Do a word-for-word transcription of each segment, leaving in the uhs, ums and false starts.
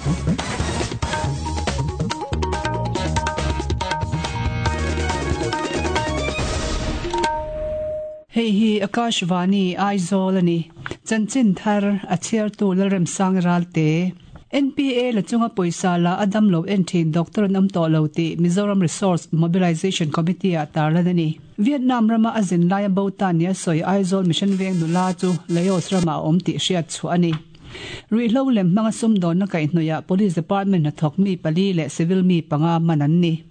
Hei hi Akashvani Aizawl ani. Chanchin thar a chhiartu Lalremsang Ralte. N P A la chunga pawisa la a damlo en thin doctor an awm tawh lo tih Mizoram Resource Mobilisation Committee ah tarlan a ni. Vietnam rama a zin laia bo ta nia sawi Aizawl Mission Veng nula chu Laos rama a awm tih hriat chhuah a ni. Ruihhlo lem hmanga sumdawnna kaihhnawihah Police Department hnathawk mi pali leh civil mi panga man an ni.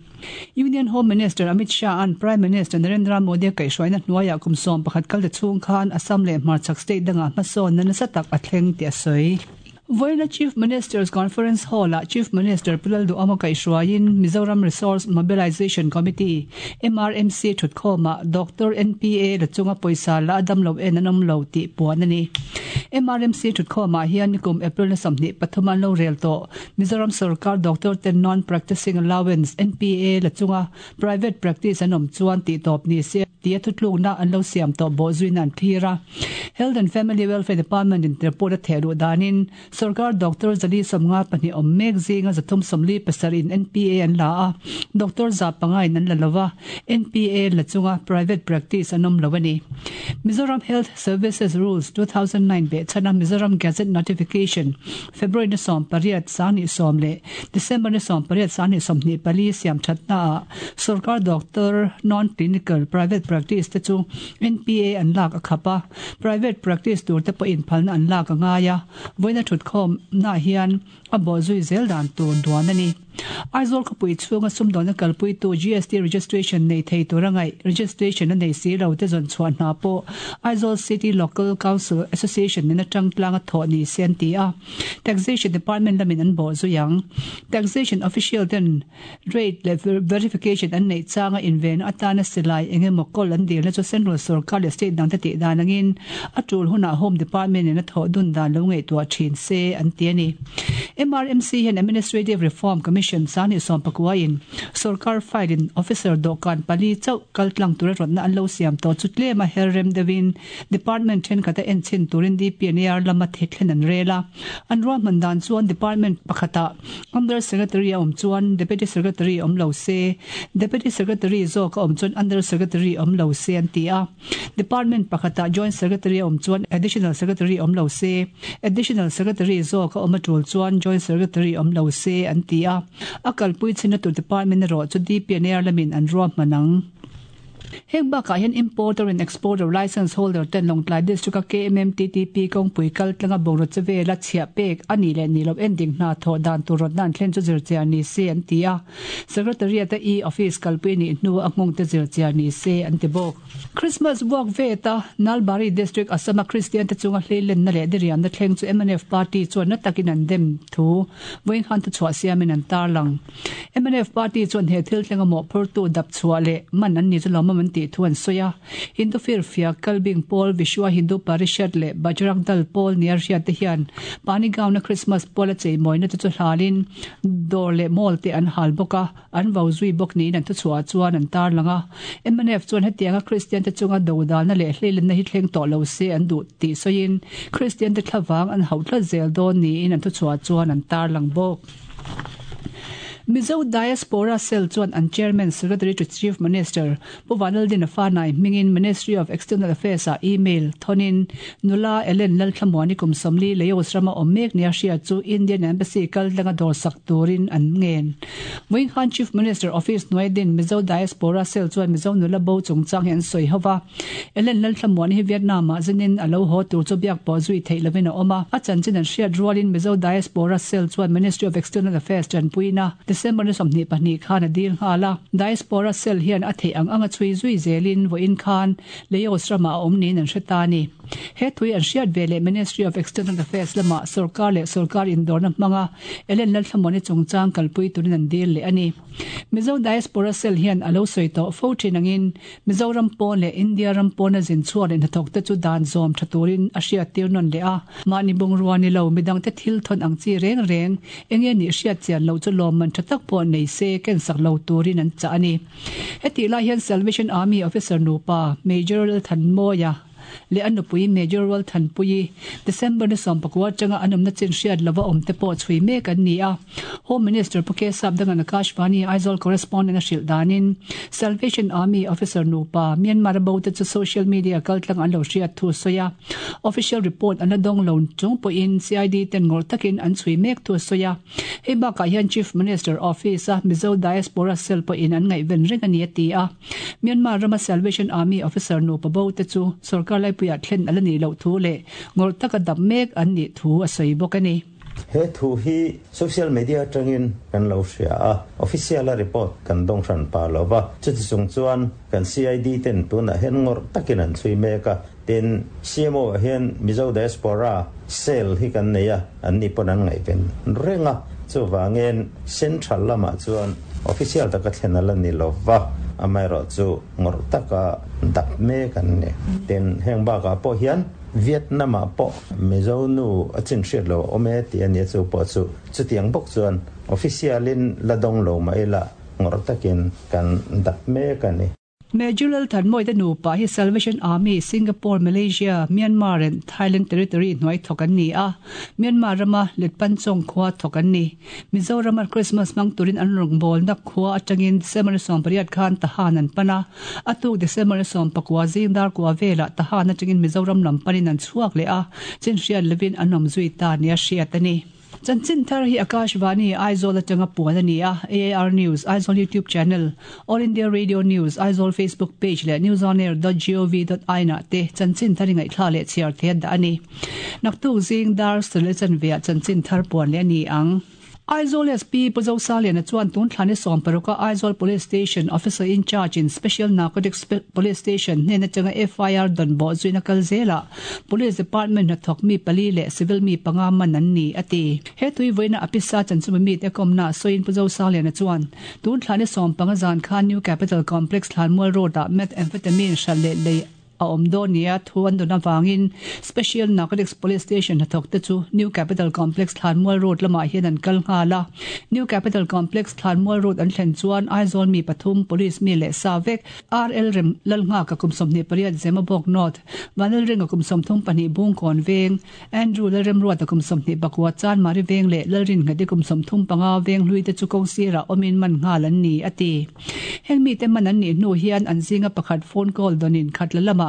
Union Home Minister Amit Shah an Prime Minister Narendra Modi a kaihhruaina hnuaiah kum sawm pakhat kal ta chhung khan Assam leh Hmarchhak state dangah hmasawnna nasa tak a thleng tih a sawi. Vawiina Chief Minister's Conference Hall-ah Chief Minister Pu Lalduhawma kaihhruaiin Mizoram Resource Mobilisation Committee, M R M C, thutkhawmah Doctor N P A la chunga pawisa la a dam lo en an awm lo tih puan a ni. M R M C thutkhawmah hian nikum April na sawmhnih pathum an lo rel tawh. Mizoram Sarkar Doctor ten Non-Practicing Allowance, N P A, la chunga private practice an awm chuan tih tawp ni se tia thutlukna an lo siam tawh bawh zuina an thlir a. Health and Family Welfare Department in report a theh luh danin Sarkar Doctor Zali Sawmnga pahnih awm mek zinga zathum sawmli pasarih in N P A an la a, Doctor za panga in an la lo a, N P A la chunga private practice an awm lo a ni. Mizoram Health Services Rules two thousand nine beh chhana Mizoram Gazette Notification February ni sawm pariat sangni sawm leh December ni sawm pariat sangni sawmhnih pali siam thatna ah Sarkar Doctor Non-Clinical Private Practice te chu N P A an lak a khap a, private practice tur te pawhin phalna an lak a ngai a, vawiina thutkhawm na hian a bawh zui zel dan tur duan a ni. Aizawl khawpui chhunga sumdawnna kalpuitu G S T registration nei thei tur a ngaih registration a nei si lo te zawn chhuah hna pawh Aizawl City Local Council Association nen atang tlang a thawh ni se an ti a, Taxation Department lamin an bawh zui ang. Taxation official ten rate leh verification an neih changa invenna atana silai eng emaw kawl an dilna chu Central Sarkar leh State dangte tih dan angin a tul hunah Home Department in a thawh dun dan lo ngaihtuah thin se an ti a ni. M R M C hian Administrative Reform Commission sangni sawm pakuain Sarkar file in officer dawhkan pali chauh kal tlang tura rawtna an lo siam tawh chu tlem a her rem deuhin department thenkhat a en chhin turin D P N A R lama thehthlen an rel a. An ruahman dan chuan department pakhatah Under Secretary a awm chuan Deputy Secretary awm lo se, Deputy Secretary zawk a awm chuan Under Secretary awm lo se an ti a. Department pakhatah Joint Secretary a awm chuan Additional Secretary awm lo se, Additional Secretary zawk a awm a tul chuan Joint Secretary awm lo se an ti a. A kalpui chhinna tur department erawh chu D P N A R lamin an ruahman ang. Heng bakah hian importer and exporter license holder ten Lawngtlai District a K M M T T P kawngpui kal tlanga bungraw che vela chhiah pek a nih leh nih loh ending hna thawh dan tur rawtna an thlen chu zirchiar ni se an ti a. Secretariat a e-office kalpui nih hnu a nghawng te zirchiar ni se an ti bawk. Christmas walk veta Nalbari District Assam a Christian te chunga hleilenna leh diriamna thleng chu M N F party chuan na takin an dem thu vawiin te chhuah siamin an tarlang. M N F party chuan he thil thlenga mawhphurtu dap chhuah leh man an ni chu lawmawm an tih thu an sawi a. Hindu Firfia Kalbing Pawl Vishwa Hindu Parishad leh Bajrang Dal Pawl nia hriat te hian Panigaon-a Christmas pawl a cheimawina te chu hlalin dawr leh mall te an hal bawk a, an vo zui bawk niin an thuchhuah chuan an tarlang a. M N F chuan hetianga Christian te chunga dodalna leh hleilenna hi thleng tawh lo se an duh tih sawiin Christian te thlavang an hauh tlat zel dawn niin an thuchhuah chuan an tarlang bawk. Mizo Diaspora Cell chuan an Chairman Secretary to Chief Minister Pu Vanlaldin Fanai hmingin Ministry of External Affairs ah email thonin nula Ellen Lalthlamuani kum sawmli Laos rama awm mek nia hriat chu Indian Embassy kal tlanga dawr sak turin an ngen. Vawiin khan Chief Minister Office hnuaidin Mizo Diaspora Cell chuan Mizo nula bo chungchang hi an sawi ho va. Ellen Lalthlamuani hi Vietnam ah zinin a lo haw tur chu biak pawh zui theih lovin a awm a. A chanchin an hriat rualin Mizo Diaspora Cell chuan Ministry of External Affairs tanpuina December ni sawmhnih pahnih khan a dil nghal a. Diaspora Cell hian a theih ang anga chhui zui zelin vawiin khan Laos rama a awm niin an hre ta a ni. He thui an hriat ve leh Ministry of External Affairs lama Sarkar leh Sarkar indawrna hmanga Ellen Lalthlamuani chungchang kalpui turin an dil leh a ni. Mizo Diaspora Cell hian a lo sawi tawh fo thin angin Mizoram pawn leh India ram pawna zin chhuak leh hnathawk te chu dan zawm tha turin a hriat tir nawn leh a. Mahni bungrua ni lo midang te thil thawn ang chi reng reng enge nih hriat chian lo chu lawmman tha tak pawh nei se ken sak lo turin an chah a ni. Heti lai hian Salvation Army officer nupa Major Lalthanmawia leh a nupui Major Rualthanpuii, December ni sawmpakua atanga an awmna chin hriat lova awm te pawh chhui mek an ni a. Home Minister Pu K Sapdanga'n Akashvani Aizawl Correspondent a hrilh danin Salvation Army officer nupa Myanmar a bo te chu social media kaltlang an lo hriat thu a sawi a. Official report an la dawng lo chung pawhin C I D ten ngawrh takin an chhui mek thu a sawi a. Hei bakah hian Chief Minister Office a Mizo Diaspora Cell pawhin an ngaihven reng a ni a ti a. Myanmar rama Salvation Army officer nupa bo te chu sorkar laipuiah thlen a la nih loh thu leh ngawrh taka dap mek an nih thu a sawi bawk a ni. He thu hi social media atangin kan lo hria a, official a report kan dawng hran pa lo va. Chuti chung chuan kan C I D ten tunah hian ngawrh takin an chhui mek a. Tin, C M O ah hian Mizo Diaspora Cell hi kan nei a, an ni pawn an ngaihven reng a. Chuvangin central lamah chuan official taka thlen a la ni lo va, amaherawhchu ngawrh taka dap mek an ni. Tin, heng bakah pawh hian Vietnam-ah pawh Mizo nu a chin hriat lo a awm e tih a nia, chu pawh chu chutiang bawk chuan official-in la dawng lo mah ila ngawrh takin kan dap mek a ni. Major Lalthanmawite nupa hi Salvation Army, Singapore, Malaysia, Myanmar and Thailand Territory hnuai thawk an ni a, Myanmar rama Letpanchong khua thawk an ni. Mizorama Christmas hmang turin an rawngbawlna khua atangin December sawmpariat khan Tahan an pan a, a tuk December sawmpakua zing dar kua velah Tahan atangin Mizoram lam panin an chhuak leh a, chinhriat lovin an awm zui ta nia hriat a ni. Chanchin thar hi Akashvani Aizawl atanga puan a ni a, A I R News Aizawl YouTube channel, All India Radio News Aizawl Facebook page leh newsonair dot gov dot in ah te chanchin thar i ngaihthla leh chhiar theih dah a ni. Naktuk zing dar sarih leh chanve ah chanchin thar puan leh a ni ang. Aizawl S P Pu Zosaliana chuan tun thla ni sawm paruk a Aizawl Police Station Officer in Charge in Special Narcotics Police Station hnen atanga F I R dawn bawh zuina kal zelah Police Department hnathawk mi pali leh civil mi panga man an ni a ti. He tui vawiina a pisa chanchuma mite kawmna sawiin Pu Zosaliana chuan tun thla ni sawm panga zan khan New Capital Complex Thlanmual Road ah methamphetamine hral leh lei a awm dawn nia thu an dawn avangin Special Narcotics Police Station hnathawk te chu New Capital Complex Thlanmual Road lamah hian an kal nghal a. New Capital Complex Thlanmual Road an thlen chuan Aizawl mi pathum police mi leh sa vek R L Rem Lalnghaka kum sawmhnih pariat Zemabawk North, Vanlalrenga kum sawmthum pahnih Bungkawn Veng, Andrew Lalremruata kum sawmhnih pakua Chanmari Veng leh Lalrinngati kum sawmthum panga Venghlui te chu kawng sirah awmin man nghal an ni a ti. Heng mite man an nih hnu hian an zinga pakhat phone call dawnin Khatla lamah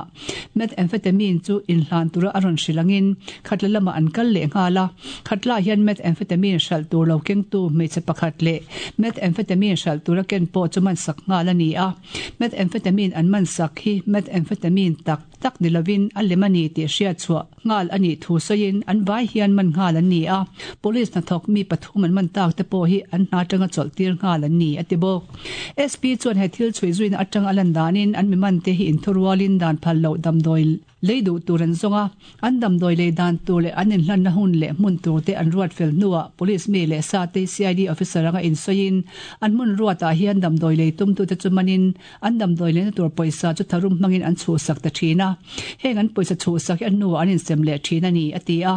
methamphetamine chu inhlan tura a rawn hrilh angin Khatla lamah an kal leh nghal a. Khatla hian methamphetamine hralh tur lo kengtu hmeichhe pakhat leh methamphetamine hralh tura ken pawh chu man sak nghal a ni a. Methamphetamine an man sak hi methamphetamine tak tak ni lovin a lem a ni tih hriat chhuah nghal a nih thu sawiin an vai hian man nghal an ni a. Police hnathawk mi pathum an man tak te pawh hi an hna atanga chawlh tir nghal an ni a ti bawk. S P chuan he thil chhui zuina atanga a lan danin an mi man te hi inthurualin dan phal loh damdawi lei duh tur an zawng a, an damdawi lei dan tur leh an inhlanna hun leh hmun tur te an ruat fel hnuah police mi leh sa te C I D officer anga insawiin an hmun ruatah hian damdawi lei tumtute chu manin an damdawi leina tur pawisa chu tharum hmangin an chhuhsak ta thin a. Heng an pawisa chhuhsak hi a hnuah an insem leh thin a ni a ti a.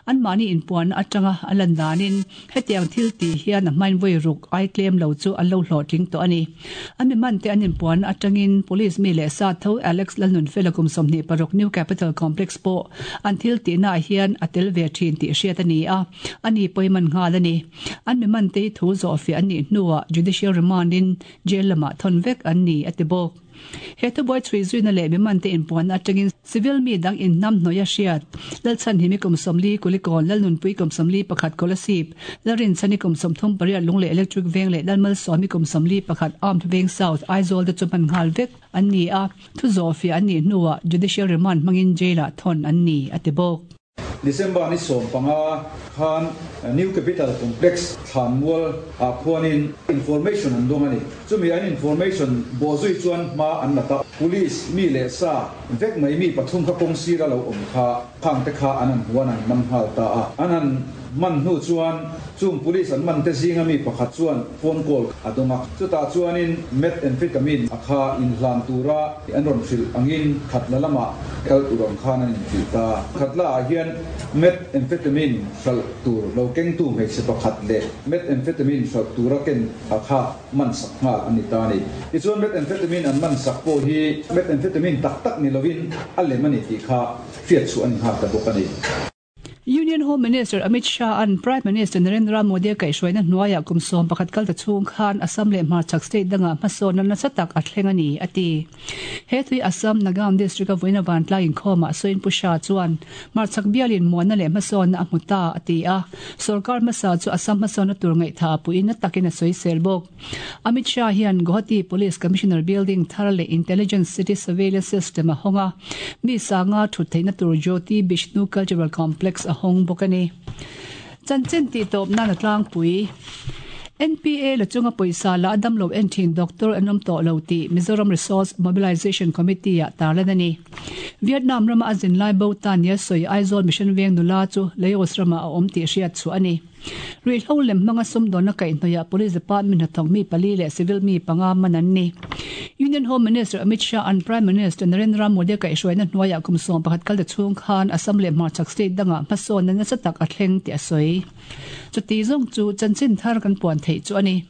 Anmahni inpuanna atanga a lan danin hetiang thil tih hian a hmain vawi ruk ai tlem lo chu an lo hlawhtling tawh a ni. An mi man te an inpuanna atangin police mi leh sa tho Alex Lalnunfela kum sawmhnih paruk New Capital Complex pawh an thil tihnaah hian a tel ve thin tih hriat a ni a, ani pawhin man nghal a ni. An mi man te hi thu zawh fiah an nih hnuah judicial remand in jail lamah thawn vek an ni a ti bawk. He thubuai chhui zuina leh mi man te inpuanna atangin civil mi dang inhnam hnawih a hriat Lalchhanhimi kum sawmli Kulikawn, Lalnunpui kum sawmli pakhat Kolasib, Lalrinchhani kum sawmthum pariat Lunglei Electric Veng leh Lalmalsawmi kum sawmli pakhat Armed Veng South Aizawl te chu man nghal vek an ni a, thu zawh fiah an nih hnuah judicial remand hmangin jail ah thawn an ni a ti bawk. December ni sawm panga khan New Capital Complex Thlanmual ah khuanin information an dawng a ni. Chumi an information bawhzui chuan hma an la ta. Police mi leh sa vek mai mi pathum kha kawng sira lo awm kha khang te kha an han huan an man nghal ta a. An han man hnu chuan chung police an man te zinga mi pakhat chuan phone call a dawnga chutah chuanin methamphetamine a kha inhlan tura an rawn hrilh angin Khatla lama kal tur ang khan an inhrilh ta. Khatla ah hian methamphetamine hralh tur lo kengtu hmeichhe pakhat leh methamphetamine hralh tura ken a kha man sak nghal a ni ta a ni. Tichuan methamphetamine an man sak pawh hi methamphetamine tak tak ni lovin a lem a ni tih kha hriat chhuah a ni nghal ta bawk a ni. Union Home Minister Amit Shah an Prime Minister Narendra Modi kaihhruaina hnuaiah kum sawm pakhat kal ta chhung khan Assam leh hmarchhak state dangah hmasawnna nasa tak a thleng a ni, a ti. He tui Assam Nagaon district a vawiina vantlai inkhawmah sawiin Pu Shah chuan hmarchhak bialin muanna leh hmasawnna a hmu ta, a ti a. Sorkar hmasa chu Assam hmasawnna tur ngaihtha puiin na takin a sawisel bawk. Amit Shah hian Guwahati Police Commissioner building thar leh Intelligence City Surveillance System a hawng a, mi sanga thut theihna tur Jyoti Bishnu Cultural Complex a hawng bawk a ni. Chanchin tih tawp nan a tlangpui. N P A la chunga pawisa la a damlo en thin doctor an awm tawh lo tih Mizoram Resource Mobilisation Committee ah tarlan a ni. Vietnam rama a zin lai bo tan nia sawi Aizawl Mission Veng nula chu Laos ramah a awm tih hriat chhuah a ni. Ruihhlo lem hmanga sumdawnna kaihhnawihah Police Department hnathawk mi pali leh civil mi panga man an ni. Union Home Minister Amit Shah an Prime Minister Narendra Modi kaihhruaina hnuaiah kum sawm pakhat kal ta chhung khan Assam leh hmarchhak state dangah hmasawnna nasa tak a thleng tih a sawi. Chuti zawng chu chanchin thar kan puan theih chu a ni.